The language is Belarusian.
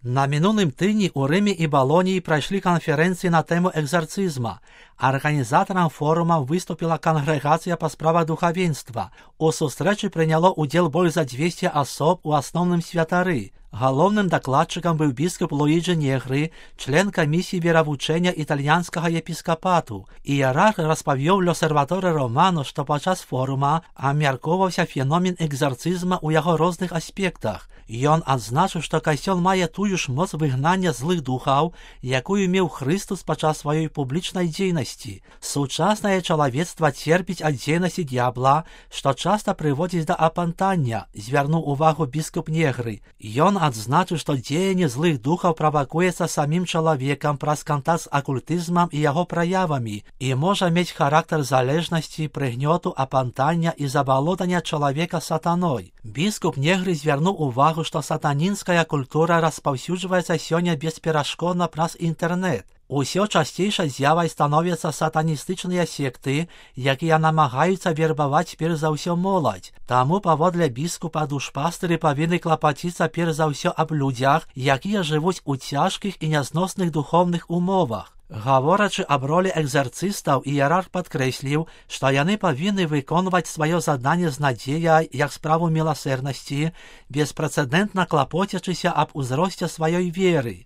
На мінулым тыдні ў Рымі і Балоніі прайшлі канферэнцыі на тэму экзарцызма. Арганізатарам форума выступіла кангрэгацыя па справах духавенства. У сустрэчы прыняло ўдзел больш за 200 асоб, у асноўным святары. Галоўным дакладчыкам быў біскуп Луіджі Негры, член камісіі веравучэння італьянскага епіскапату. Іерарх распавёў Л'осерваторе Романо, што падчас форума абмяркоўваўся феномен экзарцызма ў яго розных аспектах. Ён адзначыў, што касцёл мае тую ж моц выгнання злых духаў, якую меў Хрыстус падчас сваёй публічнай дзейнасці. Сучаснае чалавецтва церпіць ад дзейнасці д'ябла, што часта прыводзіць да апантання, звярнуў увагу біскуп Негры. Ён адзначыў, што дзеянне злых духаў правакуецца самім чалавекам праз кантакт з акультызмам і яго праявамі і можа мець характар залежнасці, прыгнёту, апантання і забалотання чалавека сатаной. Біскуп Негры звярнуў увагу, што сатанінская культура распаўсюджваецца сёння бесперашкодна праз інтэрнэт. Усё часцейшай з'явай становяцца сатаністычныя секты, якія намагаюцца вербаваць перш за ўсё моладзь. Таму, паводле біскупа, душпастыры павінны клапаціцца перш за ўсё аб людзях, якія жывуць у цяжкіх і нязносных духоўных умовах. Гаворачы аб ролі экзарцыстаў, іерарх падкрэсліў, што яны павінны выконваць сваё заданне з надзеяй, як справу міласэрнасці, беспрэцэдэнтна клапоцячыся аб узросце сваёй веры.